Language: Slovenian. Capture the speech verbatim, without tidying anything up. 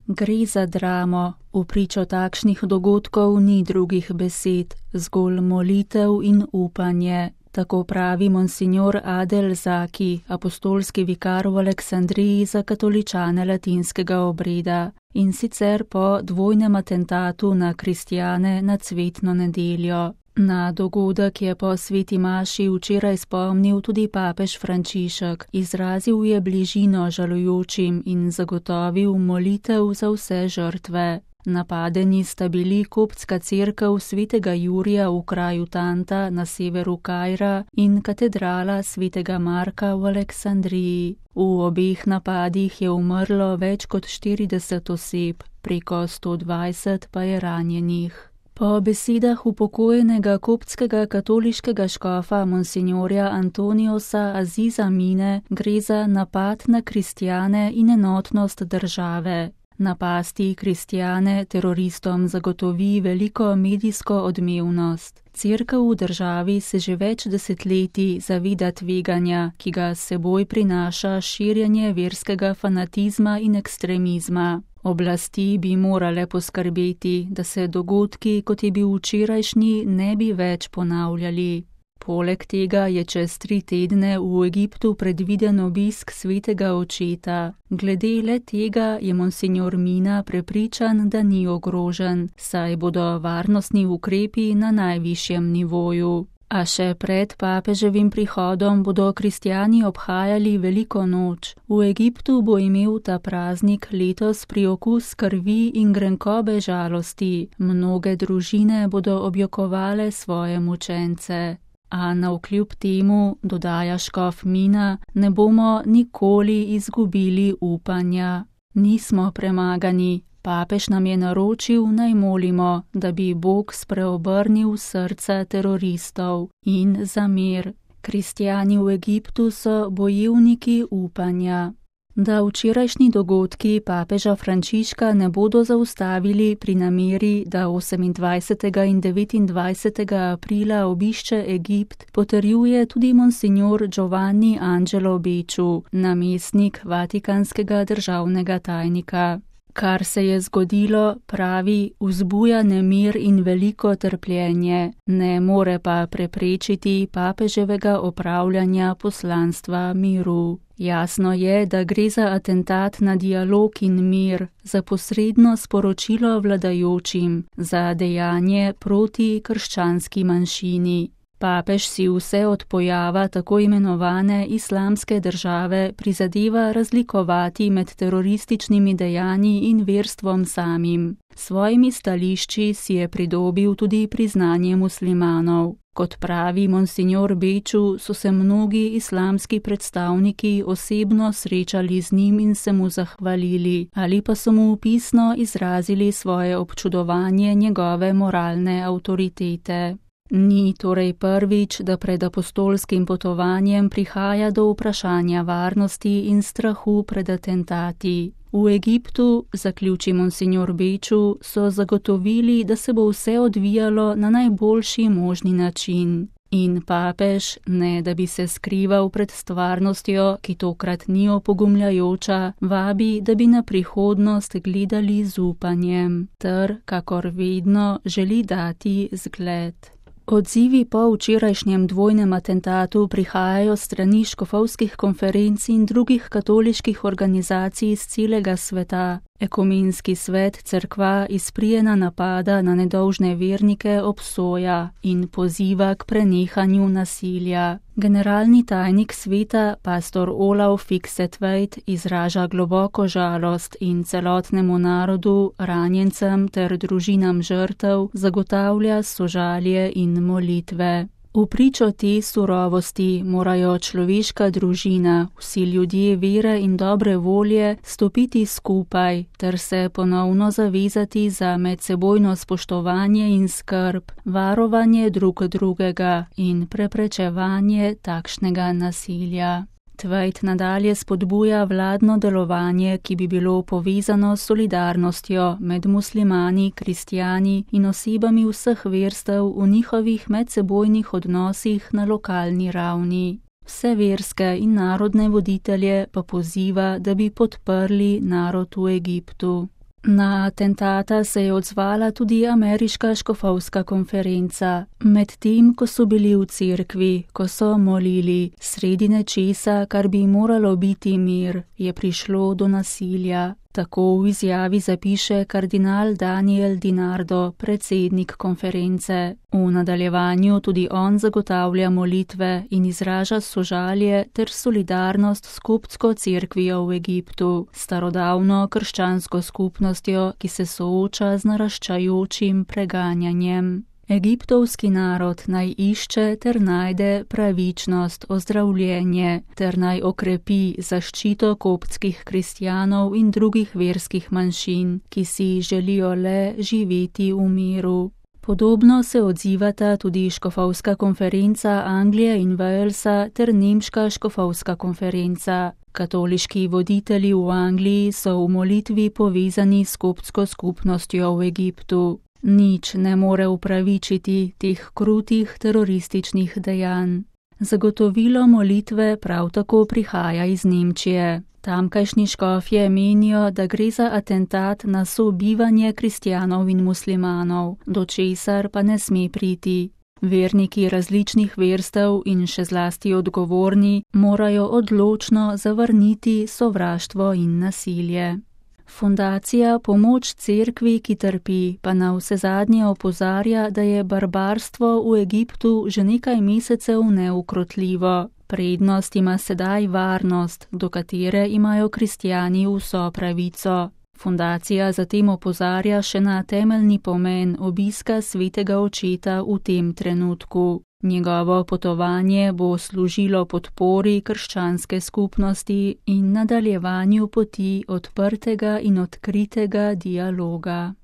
Gre za dramo, v pričo takšnih dogodkov ni drugih besed, zgolj molitev in upanje. Tako pravi monsignor Adel Zaki, apostolski vikar v Aleksandriji za katoličane latinskega obreda, in sicer po dvojnem atentatu na kristjane na cvetno nedeljo. Na dogodek je po sveti maši včeraj spomnil tudi papež Frančišek, izrazil je bližino žalujočim in zagotovil molitev za vse žrtve. Napadeni sta bili koptska cerkev svetega Jurija v kraju Tanta na severu Kaira in katedrala svetega Marka v Aleksandriji. V obeh napadih je umrlo več kot štirideset oseb, preko sto dvajset pa je ranjenih. Po besedah upokojenega koptskega katoliškega škofa monsignorja Antoniosa Aziza Mine gre za napad na kristjane in enotnost države. Napasti kristjane teroristom zagotovi veliko medijsko odmevnost. Cerkev v državi se že več desetletij zaveda tveganja, ki ga s seboj prinaša širjenje verskega fanatizma in ekstremizma. Oblasti bi morale poskrbeti, da se dogodki, kot je bil včerajšnji, ne bi več ponavljali. Poleg tega je čez tri tedne v Egiptu predviden obisk svetega očeta. Glede le tega je monsignor Mina prepričan, da ni ogrožen, saj bodo varnostni ukrepi na najvišjem nivoju. A še pred papeževim prihodom bodo kristjani obhajali veliko noč. V Egiptu bo imel ta praznik letos priokus krvi in grenkobe žalosti. Mnoge družine bodo objokovale svoje mučence. A navkljub temu, dodaja škof Mina, ne bomo nikoli izgubili upanja. Nismo premagani. Papež nam je naročil, naj molimo, da bi Bog spreobrnil srca teroristov in za mir. Kristjani v Egiptu so bojevniki upanja. Da včerajšnji dogodki papeža Frančiška ne bodo zaustavili pri nameri, da osemindvajsetega in devetindvajsetega aprila obišče Egipt, potrjuje tudi monsignor Giovanni Angelo Becciu, namestnik vatikanskega državnega tajnika. Kar se je zgodilo, pravi, vzbuja nemir in veliko trpljenje, ne more pa preprečiti papeževega opravljanja poslanstva miru. Jasno je, da gre za atentat na dialog in mir, za posredno sporočilo vladajočim, za dejanje proti krščanski manjšini. Papež si vse od pojava tako imenovane islamske države prizadeva razlikovati med terorističnimi dejanji in verstvom samim. Svojimi stališči si je pridobil tudi priznanje muslimanov. Kot pravi monsignor Becciu, so se mnogi islamski predstavniki osebno srečali z njim in se mu zahvalili, ali pa so mu pisno izrazili svoje občudovanje njegove moralne avtoritete. Ni torej prvič, da pred apostolskim potovanjem prihaja do vprašanja varnosti in strahu pred atentati. V Egiptu, zaključi monsignor Becciu, so zagotovili, da se bo vse odvijalo na najboljši možni način. In papež, ne da bi se skrival pred stvarnostjo, ki tokrat ni opogumljajoča, vabi, da bi na prihodnost gledali z upanjem, ter, kakor vedno, želi dati zgled. Odzivi po včerajšnjem dvojnem atentatu prihajajo strani škofovskih konferenc in drugih katoliških organizacij iz celega sveta. Ekumenski svet cerkva izprijena napada na nedolžne vernike obsoja in poziva k prenehanju nasilja. Generalni tajnik sveta, pastor Olav Fiksetveit, izraža globoko žalost in celotnemu narodu, ranjencem ter družinam žrtev zagotavlja sožalje in molitve. V pričo te surovosti morajo človeška družina, vsi ljudje vere in dobre volje stopiti skupaj ter se ponovno zavezati za medsebojno spoštovanje in skrb, varovanje drug drugega in preprečevanje takšnega nasilja. Tveit nadalje spodbuja vladno delovanje, ki bi bilo povezano s solidarnostjo med muslimani, kristjani in osebami vseh verstev v njihovih medsebojnih odnosih na lokalni ravni. Vse verske in narodne voditelje pa poziva, da bi podprli narod v Egiptu. Na atentata se je odzvala tudi ameriška škofovska konferenca. Medtem, ko so bili v cerkvi, ko so molili, sredi nečesa, kar bi moralo biti mir, je prišlo do nasilja. Tako v izjavi zapiše kardinal Daniel DiNardo, predsednik konference. V nadaljevanju tudi on zagotavlja molitve in izraža sožalje ter solidarnost s koptsko cerkvijo v Egiptu, starodavno krščansko skupnostjo, ki se sooča z naraščajočim preganjanjem. Egiptovski narod naj išče ter najde pravičnost, ozdravljenje ter naj okrepi zaščito koptskih kristjanov in drugih verskih manjšin, ki si želijo le živeti v miru. Podobno se odzivata tudi škofovska konferenca Anglije in Walesa ter nemška škofovska konferenca. Katoliški voditelji v Angliji so v molitvi povezani s koptsko skupnostjo v Egiptu. Nič ne more upravičiti teh krutih terorističnih dejanj. Zagotovilo molitve prav tako prihaja iz Nemčije. Tamkajšnji škofje menijo, da gre za atentat na sobivanje kristjanov in muslimanov, do česar pa ne sme priti. Verniki različnih verstev in še zlasti odgovorni morajo odločno zavrniti sovraštvo in nasilje. Fundacija Pomoč cerkvi, ki trpi, pa na vsezadnje opozarja, da je barbarstvo v Egiptu že nekaj mesecev neukrotljivo. Prednost ima sedaj varnost, do katere imajo kristjani vso pravico. Fundacija zatem opozarja še na temeljni pomen obiska svetega očeta v tem trenutku. Njegovo potovanje bo služilo podpori krščanske skupnosti in nadaljevanju poti odprtega in odkritega dialoga.